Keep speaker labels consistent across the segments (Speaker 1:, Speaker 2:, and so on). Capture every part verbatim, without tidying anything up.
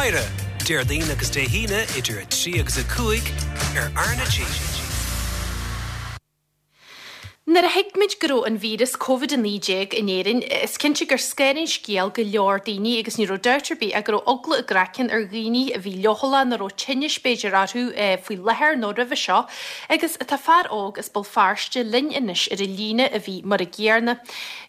Speaker 1: Staighre, Déardaoin agus Dé hAoine idir a trí agus a cúig ar R na G.
Speaker 2: Nuair a thuig muid go raibh an víreas Covid a naoi déag in Éirinn, is cinnte gur scanraigh an scéal go leor daoine agus ní raibh dabht ar bith ach go raibh eagla a gcraicinn ar dhaoine a bhí leochaileach nó raibh tinnis b'fhéidir orthu faoi láthair nó roimhe seo agus tá fear óg as Béal Feirste linn anois ar an líne a bhí mar a gcéanna.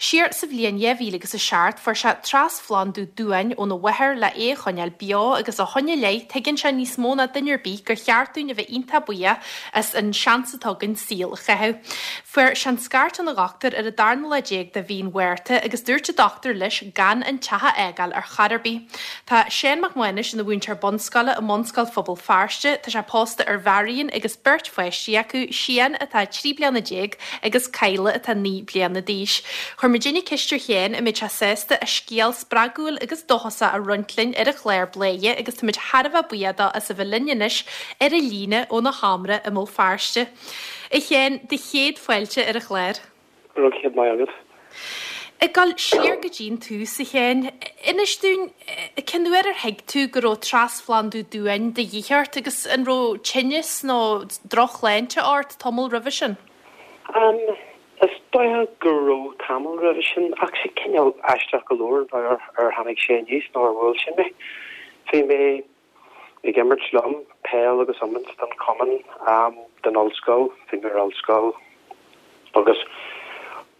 Speaker 2: Siar sa bhliain dhá mhíle agus a seacht fuair sé trasphlandú duáin óna mháthair le é a choinneáil beo agus ó shin i leith tuigeann sé níos mó ná duine ar bith gur cheart dúinn a bheith iontach buíoch as an seans atá againn saol a chaitheamh. Fuair sé an scairt óna dhochtúir ar an darna lá déag de mhí an Mhárta agus dúirt an dochtúir leis gan an teach a fhágáil ar chor ar bith. Tá Seán Mac Mánais ina mhúinteoir bunscoile i mBunscoil Phobal Feirste, tá sé pósta ar Mharion agus beirt pháistí acu, Sian atá trí bliana déag agus Kyla atá naoi bliana d'aois. Chuir muidinne ceist ar Sheán an mbeadh sé sásta a scéal spreagúil agus dóchasach a roinnt linn ar an chlár Bladhaire agus táimid thar a bheith buíoch dó as a bheith linn anois ar an líne óna sheomra i mBéal Feirste. A Sheáin, do chéad fáilte ar an chlár.
Speaker 3: Go raibh céad maith agat.
Speaker 2: Ag dul siar go dtí an tús a Sheáin, inis dúinn cén uair ar thuig tú go raibh trasphlandú duáin de dhíth ort agus an raibh tinneas nó drochshláinte ort tamall roimhe sin?
Speaker 3: Um, is dócha go raibh tamall roimhe sin ach sé cineál aisteach go leor ar ar tháinig sé aníos nó ar bhuail sin mé. Bhí mé ag imirt liom peil agus iomáint don chumann um, den ollscoil, bhí mé ar ollscoil agus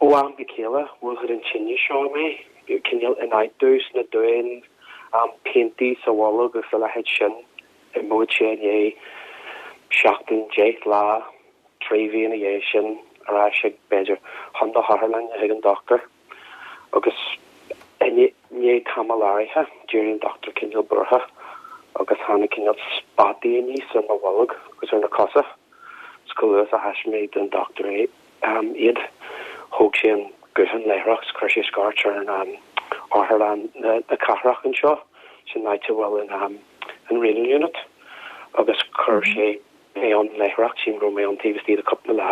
Speaker 3: ó am go chéile bhuail an tinneas seo mé, cineál ionfhabhtú sna duáin um, piantaí sa bholg agus a leithéid sin i mbúid sé inné seachtain deich lá trí mhí ina dhiaidh sin ar ais ag b'fhéidir chun na hotharlainne chuig an dochtúir agus i ndiaidh tamall áirithe d'éirigh an dochtúir cineál buartha agus tháinig cineál spotaí aníos ar mo bholg agus ar na cosa. 's chomh luath is a thaispeáin mé don dochtúir é um, iad thóg sé an guthán láithreach 's chuir sé scairt ar an um, otharlann na, na cathrach anseo sin áit a bhfuil an um, an renal unit agus chuir sé mé ann láithreach sin raibh mé ann taobh istigh de cúpla lá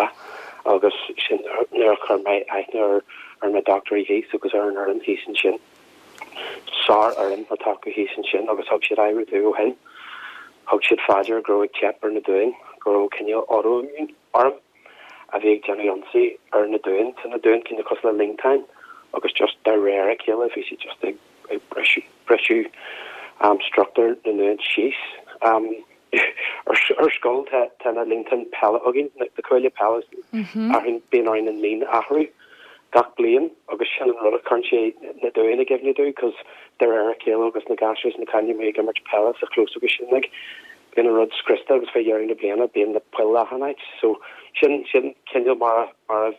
Speaker 3: agus sin nuair a chuir mé aithne ar ar na dochtúirí thíos agus ar an fhoireann thíos ansin. Sárfhoireann atá acu thíos ansin agus thug siad aire domh ó shin. Thug siad faoi deara go raibh ag teip ar na duáin, go raibh cineál autoimmune orm a bhí ag déanamh ionsaí ar na duáin tá na duáin cineál cosúil le líontáin agus just de réir a chéile bhí siad just ag ag briseadh briseadh um, struchtúr na nduán síos. Um, ar ar scoil tá tá na líontáin peile againn na na cuaille peile athraíonn bíonn orainn an líon a athrú gach bliain agus sin an rud a chuireann sé na duáin i gcuimhne domh cos de réir a chéile agus na gasúir na cailíní ag imirt peile sa chlós agus sin like bíonn an rud scriosta agus fé dheireadh na bliana bíonn na poill achan áit so sin sin cineál mar mar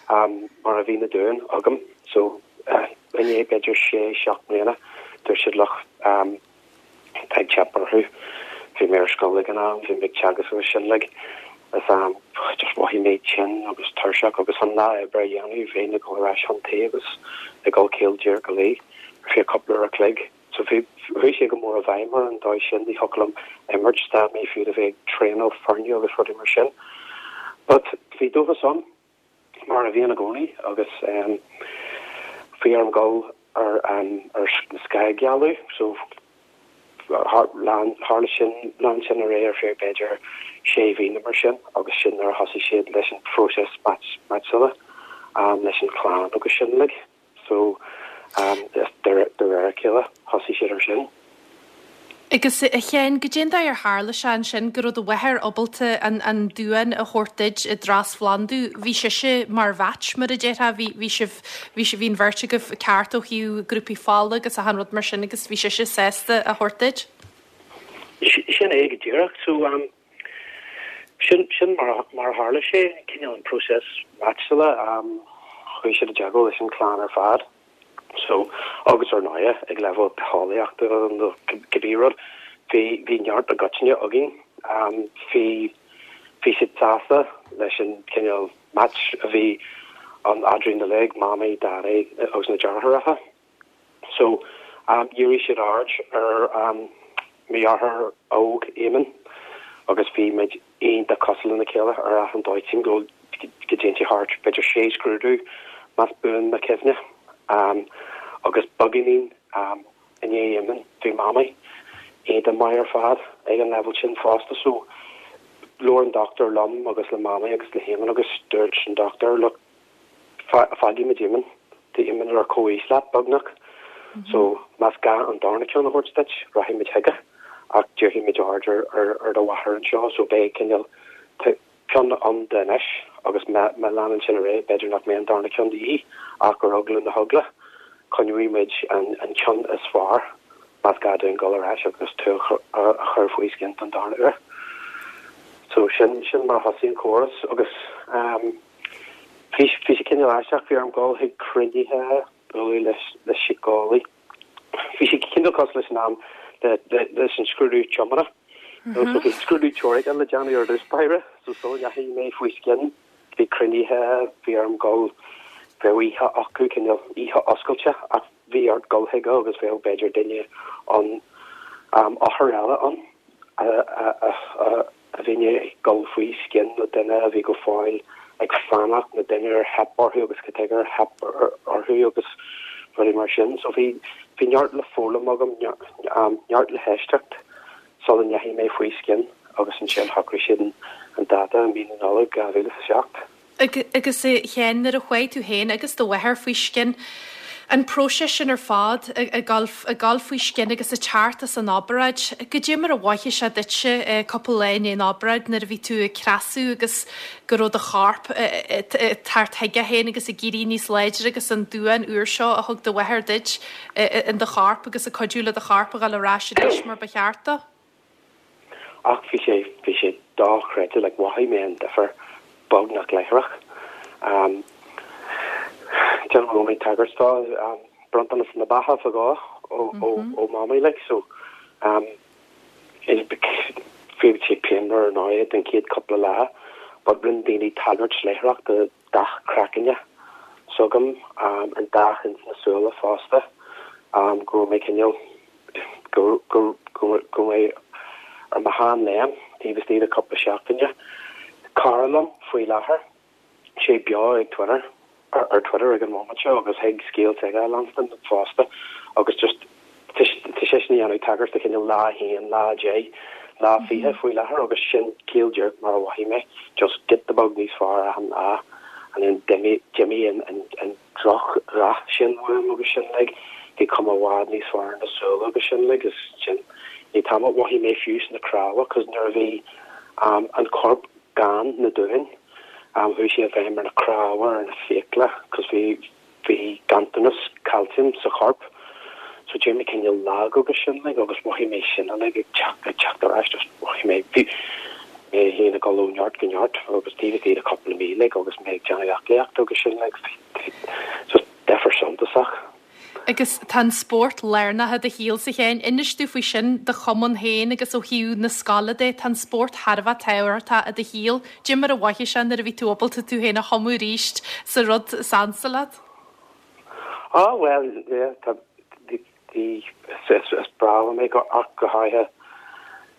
Speaker 3: um, mar a bhí na duáin agam so uh, i ndiaidh b'fhéidir sé seacht mbliana dúirt siad look um, tá ag teip orthu bhí mé ar scoil ag an am bhí mé ag teagasc agus sin like is um, just mhothaigh mé tinn agus tuirseach agus an lá oibre a dhéanamh bheinn ag dul ar ais chun tí agus ag dul caol díreach go luí ar feadh cúpla uair a chloig so bhí chuaigh sé go mór i bhfeidhm ar an dóigh sin ní thiocfadh liom imirt stad mé fiú a bheith ag traenáil foirne agus rudaí mar sin but bhí dóchas ann mar a bhíonn i gcónaí agus um, bhí orm dul ar um, ar scagadh so lean tharla sin lean sin ar aghaidh ar feadh b'fhéidir sé mhí mar sin agus sin nuair a thosaigh siad leis an phróiseas meaitseála um, leis an chlann agus sin like so um, de réir a chéile thosaigh siad ar sin.
Speaker 2: Agus a Sheáin goidé an dóigh ar tharla sé ansin go raibh do mháthair ábalta an an duán a thabhairt duit i dtrasphlandú, bhí sise mar mhatch mar a déarfá bhí bhí sibh bhí si bhí an bheirt agaibh ceart ó thaobh grúpaí fola agus achan rud mar sin agus bhí sise sásta a thabhairt duit?
Speaker 3: Sin é go díreach so um, sin sin mar mar tharla sé cineál an próiseas meaitseála um, chuaigh siad i dteagmháil leis an chlann ar fad. So agus ar ndóigh ag leibhéal bitheolaíochta nó cibé rud bhí bhí neart i gcoitinne againn um, bhí bhí siad sásta leis an cineál match a bhí an eadrainn uilig mamaí daidí agus na deartháireacha. So um, dhírigh siad aird ar um, mo dheartháir óg Éamonn agus bhí muid iontach cosúil lena chéile ar achan dóigh sin go go dtéann thart b'fhéidir sé scrúdú más buan mo chuimhne. Um, agus beagáinín um, i ndiaidh Éamonn bhí mamaí iontach maith ar fad ag an level sin fosta so labhair an dochtúir liom agus le Mamaí agus le hÉamonn agus dúirt an dochtúir look fágfaimid Éamonn tá Éamonn ar comhaois leat beagnach so más gá an darna ceann a thabhairt duit rachaimid chuige ach déarfaimid aird ar ar ar do mháthair anseo so beidh cineál ceann ann di anois agus má má leanann sin ar aghaidh b'fhéidir nach mbeidh an darna ceann de dhíth ach ar eagla na heagla coinneoidh muid an an ceann is fearr más gá dúinn dul ar ais agus tú a chur faoi scian don darna huair. So sin sin mar a thosaigh an córas agus um, bhí bhí sé cineál aisteach bhí orm dul chuig cruinnithe bualadh leis le síceolaí. Bhí sé cineál cosúil leis an am le le leis an scrúdú tiomána. Mm -hmm. So bhí scrúdú teoirice le déanamh ar dtús báire, so sula ndeachaigh mé faoi scian bhí cruinnithe bhí orm dul bheadh oíche acu cineál oíche oscailte ach bhí ort dul chuige agus bheadh b'fhéidir duine an um, othar eile ann a, a, a, a, a bhí ag dul faoi scian nó duine a bhí go fóill ag fanacht nó duine ar theip orthu agus cad chuige ar theip orthu agus rudaí mar sin. So bhí bhí neart le foghlaim agam um, neart le héisteacht sula ndeachaigh mé faoi scian agus ansin shocraigh siad an dáta i mí na Nollag dhá mhíle is a seacht.
Speaker 2: Agus a Sheáin nuair a chuaigh tú féin agus do mháthair faoi scian, an próiseas sin ar fad ag dul faoi scian agus ag teacht as an obráid, goidé mar a mhothaigh sé duitse cúpla lá i ndiaidh an obráid nuair a bhí tú ag creasadh agus go raibh do chorp ag teacht chuige féin agus ag éirí níos láidre agus an duán úr seo a thug do mháthair duit in do chorp agus ag cuidiú le do chorp a ghabháil ar ais arís mar ba cheart dó?
Speaker 3: Ach bhí sé bhí sé dochreidte like mhothaigh mé an difear beagnach láithreach. Um, Déanfaidh mé tagairt dó um, bronntanas na beatha fadó ó ó ó Mamaí like so um, bhí sé pianmhar ar ndóigh den chéad cúpla lá, but rinne daoine tagairt láithreach do dath craicinn s'agam um, an dath ins na súile fosta um, go mé cineál go go go go mé ar mo sheanléim taobh istigh de cúpla seachtaine. Cara liom faoi láthair sé beo ag Twitter ar, ar Twitter ag an moment seo agus thig scéal aige a leanstan fosta agus just tá sé sin ag déanamh tagairt do cineál lá haon lá deich lá fiche faoi láthair agus sin cineál díreach mar a mhothaigh mé just giota beag níos fearr achan lá and then d'imigh d'imigh an an an drochdhath sin uaim agus sin like bhí cuma i bhfad níos fearr na súile agus sin like is sin ní tam mhothaigh mé fiú sna cnámha cos nuair a bhí um, an corp gan na duáin um, chuaigh sé i bhfeidhm ar na cnámha ar na fiacla cos bhí bhí ganntanas calcium sa chorp so d'éirigh mé cineál lag agus sin like agus mhothaigh mé sin like ag teacht ag teacht ar ais just mhothaigh mé bhí mé féin ag dul ó neart go neart agus taobh istigh de cúpla mí like agus mé ag déanamh aclaíocht agus sin like just difear suntasach.
Speaker 2: Agus tá an spórt lárnach i do shaolsa féin, inis dúinn faoi sin do chumann féin agus ó thaobh na scoile de tá an spórt thar a bheith tábhachtach i do shaol, Goidé mar a mhothaigh sé nuair a bhí tú ábalta tú féin a thumadh arís sa rud is ansa leat?
Speaker 3: Ah well yeah, tá the the is is breá mé go ach go háirithe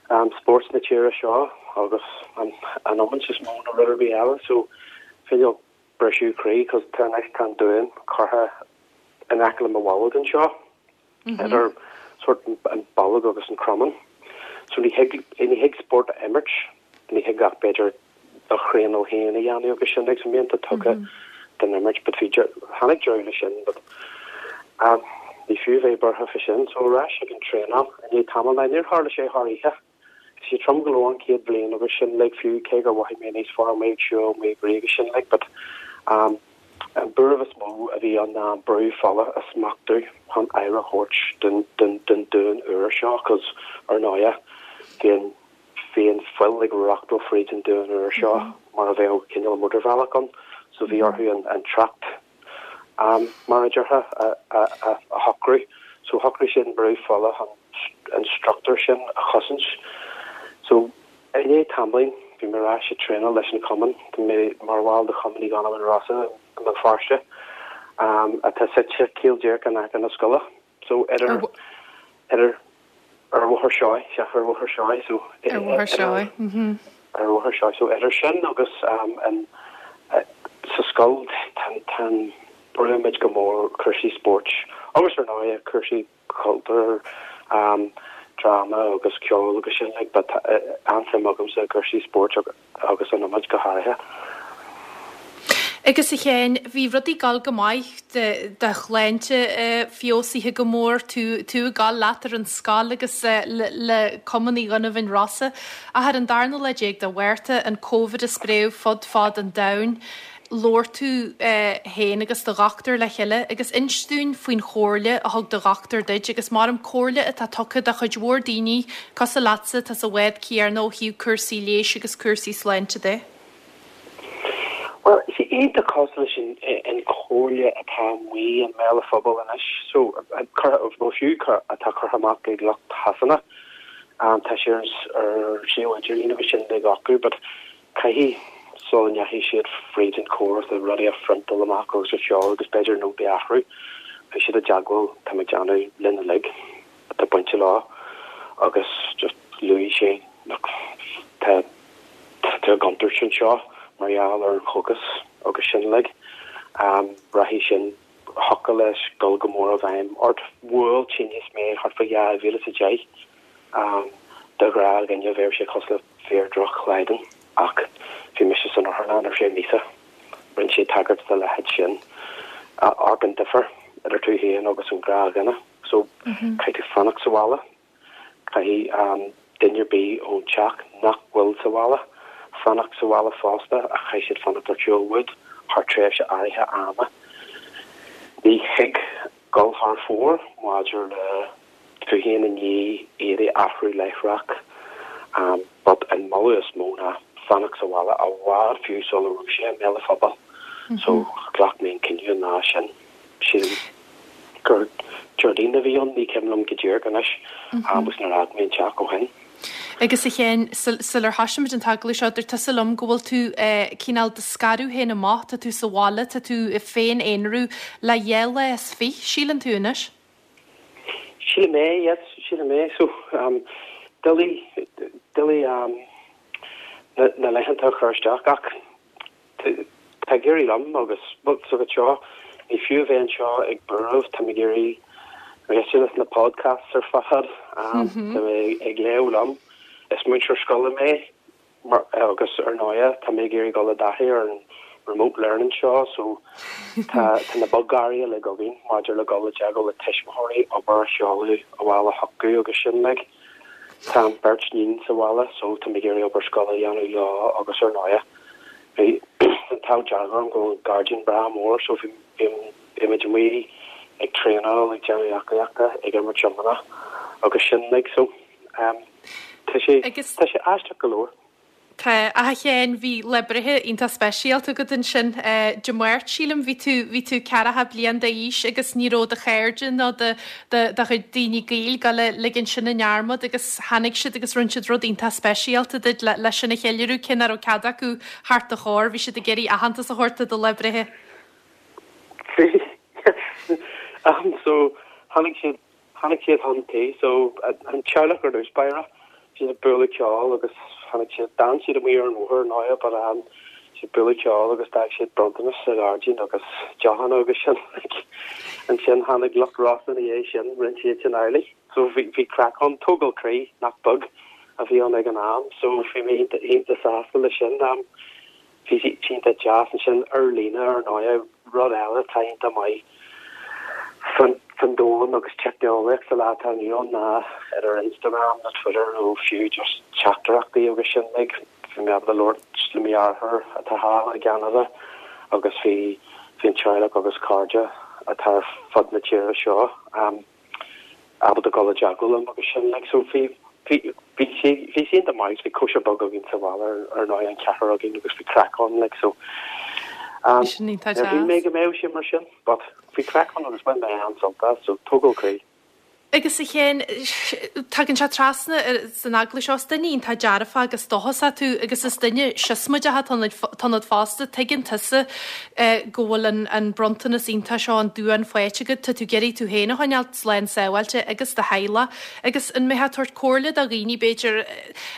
Speaker 3: um, spórt na tíre seo agus an an iomáint is mó ná rud ar bith eile so cineál briseadh croí cos tá anois tá an dúin curtha in aice le mo bholg anseo idir sort an bolg agus an cromán. So ní thig ní thig spórt a imirt, ní thig ach b'fhéidir do thraenáil féin a dhéanamh agus sin ag mbíonn tugtha den imirt, but bhí tháinig deireadh leis sin, but um, ní fiú bheith buartha faoi sin, so ar ais ag an traenáil i ndiaidh tamaill ná níor tharla sé thar oíche. Bhí sé trom go leor an chéad bhliain agus sin like fiú cé gur mhothaigh mé níos fearr mé ag siúl mé ag rith agus sin like, but um, an buaireamh is mó a bhí ann ná brú fola a smachtú chun aire a thabhairt den den den dúin úr seo cos ar ndóigh bhí an bhí an fuil ag reachtáil fríd an dúin úr seo mar a bheadh cineál mótarbhealach ann so bhí orthu an an trácht um, mar a déarfá a, a, a, a shocrú so shocraigh sin brú fola an an struchtúr sin a chosaint so i ndiaidh tamaill bhí mé ar ais ag traenáil leis an cumann Tá mé mar bhall de Chumann Uí Dhonnabháin Rosa i mBéal Feirste um, atá suite cineál díreach in aice na scoile so idir idir ar Bhóthar Seoighe sea ar Bhóthar Seoighe so
Speaker 2: Ar Bhóthar Seoighe. mhm.
Speaker 3: ar Bhóthar Seoighe so idir sin agus um, an uh, sa scoil tan tan brúimid go mór cúrsaí spóirt agus ar ndóigh cúrsaí cultúr um, dráma agus ceol agus sin like, but an-suim agamsa i gcúrsaí spóirt agus an iomáint go háirithe.
Speaker 2: Agus a Sheáin, bhí rudaí ag gabháil go maith, do shláinte feabhsaithe go mór, tú tú ag gabháil leat ar an scoil agus le Cumann Uí Dhonnabháin Rosa. Ach ar an darna lá déag de Mhárta, an Covid ag spréadh fud fad an domhain, labhair tú féin agus do dhochtúir le chéile agus inis dúinn faoin chomhairle a thug do dhochtúir duit agus mar an comhairle atá tugtha do chuid mhór daoine cosúil leatsa atá sa bhád céanna ó thaobh cúrsaí leighis agus cúrsaí sláinte de.
Speaker 3: Bhuel, is iontach cosúil leis an chomhairle atá amuigh i mbéal an phobail anois, so nó fiú atá curtha amach ag lucht Shasana. Tá sé ar suíomh idirlín agus sin ag acu, but caithfidh sula ndeachaigh siad fríd an córas le rudaí a phriontáil amach agus a sheoladh agus b'fhéidir nótaí a athrú, bhí siad i dteagmháil, tá mé ag déanamh linn uilig atá bainte leo agus just luaigh sé look tá tá contúirt anseo mar gheall ar an chógas agus sin uilig. Um, rachaidh sin thiocfadh leis dul go mór i bhfeidhm ort. Bhuail tinneas mé thart fá dhá mhíle is a deich. Um, do ghnáthdhuine bheadh sé cosúil le fíor-dhroch-shlaghdán ach bhí mise san otharlann ar feadh míosa. Rinne sé tagairt dá leithéid sin. Amharc an difear idir tú féin agus an gnáthdhuine. So caithfidh tú fanacht sa bhaile. Caithfidh um, duine ar bith ón teach nach bhfuil sa bhaile fanacht sa bhaile fosta ach caithfidh siad fanacht ar shiúl uait thar tréimhse áirithe ama. Ní thig dul thar fóir maidir le tú féin i ndiaidh éadaí a athrú láithreach um, but an moladh is mó ná fanacht sa bhaile i bhfad fiú sula raibh sé i mbéal an phobail. So ghlac mé an cinneadh an lá sin. Sílim gur Déardaoin a bhí ann ní cuimhin liom go díreach anois agus nár fhág mé an teach ó shin.
Speaker 2: Agus a Sheáin, sular thosaigh muid an t-agallamh seo, dúirt tusa liom go bhfuil tú cineál do scaradh féin amach, tá tú sa bhaile, tá tú ag féin-aonrú le dhá lá is fiche, síleann tú anois?
Speaker 3: Sílim é, yes, sílim é. So, um, doiligh, doiligh um, na, na laethanta a chur isteach ach tá ag éirí liom agus well, so go seo ní fiú a bheith anseo ag buaireamh, tá mé ag iarraidh éisteacht leis na podcasts ar fad, um, tá mé ag léamh liom. Is múinteoir scoile mé mar, agus ar ndóigh tá mé ag iarraidh dul i dtaithí ar an remote learning seo so tá tá na bogearraí uilig againn maidir le dul i dteagmháil le tuismitheoirí, obair a sheoladh abhaile chucu agus sin like. Tá an beirt níon sa bhaile so tá mé ag iarraidh obair scoile a dhéanamh leo agus ar ndóigh bhí an t-ádh dearg orm go bhfuil an gairdín breá mór so bhí bhí bhí muid amuigh ag traenáil, ag déanamh aclaíochta, ag imirt iomána agus sin like so um, tá sé
Speaker 2: Agus
Speaker 3: tá sé aisteach go leor.
Speaker 2: Tá a Sheáin bhí lá breithe iontach speisialta agat ansin Dé Máirt sílim bhí tú bhí tú ceathracha bliain d'aois agus ní raibh do chairde nó do do chuid daoine gaoil ag dul ligean sin i ndearmad agus tháinig siad agus rinne siad rud iontach speisialta duit le leis sin a cheiliúradh cé nach raibh cead acu thart do chóir bhí siad ag iarraidh aitheantas a thabhairt do do lá breithe.
Speaker 3: Bhí um, so tháinig siad tháinig siad chun tí so an teaghlach ar dtús báire siad ag bualadh ceoil agus tháinig siad d'fhan siad amuigh ar an bhóthar ndóigh but um, siad bualadh ceoil agus d'fhág siad bronntanas sa ghairdín agus deochanna agus sin like ansin tháinig lucht Rossa ina dhiaidh sin rinne siad sin amhlaidh so bhí bhí craic ann tógáil croí nach beag a bhí ann ag an am so bhí mé iontach sásta leis sin um, bhí sé iontach deas ansin ar líne ar ndóigh rud eile atá iontach maith fan fan domhan agus teicneolaíocht sa lá atá inniu ann ná idir Instagram nó Twitter nó fiú just teachtaireachtaí agus sin like bhí mé ábalta labhairt le mo dheartháir atá thall i gCeanada agus bhí bhí an teaghlach agus cairde atá ar fud na tíre seo um, ábalta dul i dteagmháil liom agus sin like so bhí bhí bhí sé bhí sé iontach maith bhí cóisir beag againn sa bhaile ar ar ndóigh an ceathrar againn agus bhí craic ann like so um,
Speaker 2: Sin iontach
Speaker 3: níor shíl mé
Speaker 2: deas.
Speaker 3: go mbeadh sé mar sin but bhí craic ann agus bhain mé an-sult as so tógáil croí.
Speaker 2: Agus a Sheáin tagann sé trasna san agallamh seo is duine iontach dearfach agus dóchasach tú agus is duine siosmaideach atá fosta tuigeann tusa go bhfuil an, an bronntanas iontach seo an duan faighte agat tá tú ag iarraidh tú féin a choinneáil slán sábháilte agus do theaghlach agus an mbeifeá ag tabhairt comhairle do dhaoine b'fhéidir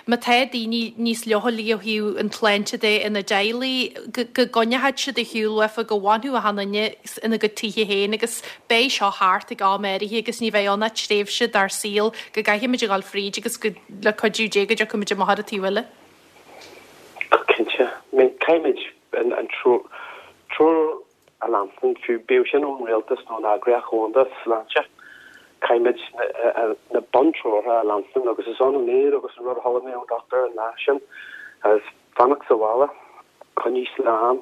Speaker 2: má tá daoine níos leochailí ó thaobh an tsláinte de ina dteaghlaigh go go gcoinneoidh siad ar shiúl uafa go bhfanfaidh achan duine ina gcuid tithe féin agus beidh seo thart ag am áirithe agus ní bheidh ann ach tréimhse dár saol go gcaithfimid a ghabháil fríd agus go le cuidiú Dé go dtiocfaimid amach ar an taobh eile.
Speaker 3: Cinnte, caithfimid an treoir a leanstan fiú bíodh sin ón rialtas nó an Eagraíocht Dhomhanda Sláinte, caithfimid na buntreoracha a leanstan agus is ionann iad agus an rud a chuala mé ón dochtúir an lá sin is fanacht sa bhaile, coinnigh slán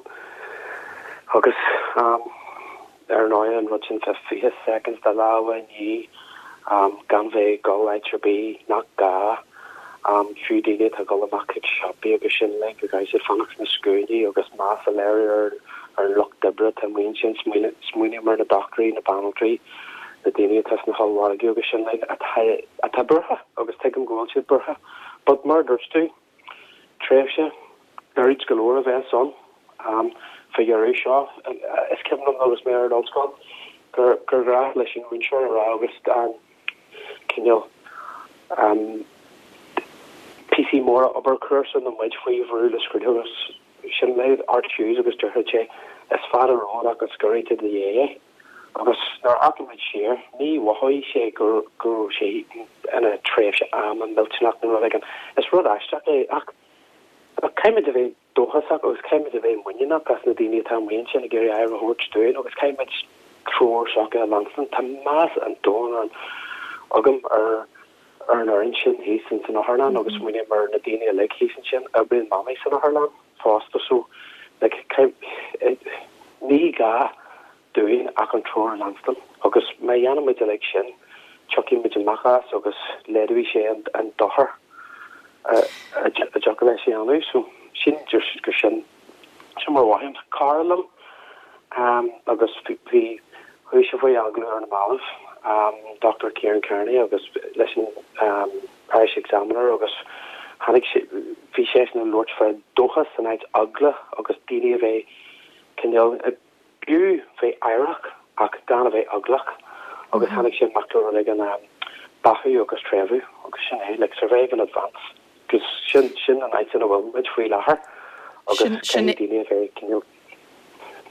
Speaker 3: agus ar ndóigh an rud sin fé fiche seconds do lámha a ní gan bheith ag dul áit ar bith nach gá fiú daoine atá ag dul amach chuig siopaí agus sin like go gcaithfidh siad fanacht sna scuainí agus meas a léiriú ar ar an lucht oibre atá amuigh ansin smaoiním ar na dochtúirí na banaltraí na daoine atá sna hollmhargaí agus sin like atá atá buartha agus tuigim go bhfuil siad buartha but mar dúirt tú tréimhse gairid go leor a bheas ann um, fá dheireadh seo is cuimhin liom agus mé ar an ollscoil gur gur ghnách leis an múinteoir a rá agus an cineál um, píosaí móra obair cúrsa nó muid faoi bhrú le scrúdú agus sin le Art Hughes agus dúirt sé is fada romhat ach is giorra do do dhiaidh é. Agus nuair a amharcann muid siar ní mhothaigh sé gur go raibh sé ina tréimhse ama millteanach nó rud éigin. Is rud aisteach é ach caithfimid a bheith dóchasach agus caithfimid a bheith muiníneach as na daoine atá amuigh ansin ag iarraidh aire a thabhairt dúinn agus caithfimid treoir s'acu a leanstan Tá meas an domhain agam ar ar an fhoireann sin thíos in san otharlann agus smaoiním ar na daoine uilig thíos ansin oibríonn mamaí san otharlann fosta so like ní gá dúinn ach an treoir a leanstan agus má dhéanaimid uilig sin tiocfaidh muid amach as agus laghdóidh sé an, an dochar a dtiocfadh leis a dhéanamh so sin just gur sin sin mar mhothaím cara liom um, agus bhí chuaigh sé faoi agallamh ar na mallaibh um, Dr. Kieran Kearney agus leis an um, Irish Examiner agus tháinig sé bhí sé ag labhairt fá dóchas san áit eagla agus daoine a bheith cineál b'fhiú bheith aireach ach gan a bheith eaglach agus tháinig sé amach le an um, beathú agus tréimhú agus sin é like survive and advance agus sin sin an áit ina bhfuil muid faoi láthair agus
Speaker 2: sin
Speaker 3: daoine a bheith cineál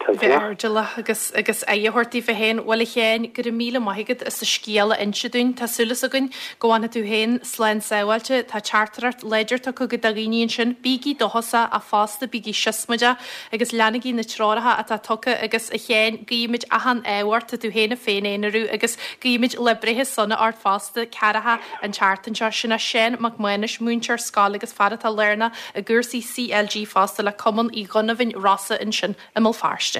Speaker 2: bheith airdeallach agus agus aghaidh a thabhairt daofa féin bhuel a Sheáin go raibh míle maith agat as an scéal a inse dúinn Tá súil againn go bhfanfaidh tú féin slán sábháilte tá teachtaireacht láidir tugtha do dhaoine ansin bígí dóchasach ach fosta bígí siosmaideach agus leanaigí na treoracha atá tugtha agus a Sheáin guímid achan ádh ort tú féin a féin-aonarú agus guímid lá breithe sona ort fosta ceathracha an tseachtain seo sin é Seán Mac Maonais múinteoir scoile agus fear atá lárnach i gcúrsaí CLG fosta le Cumann Uí Dhonnabháin Rosa ansin i mBéal Feirste.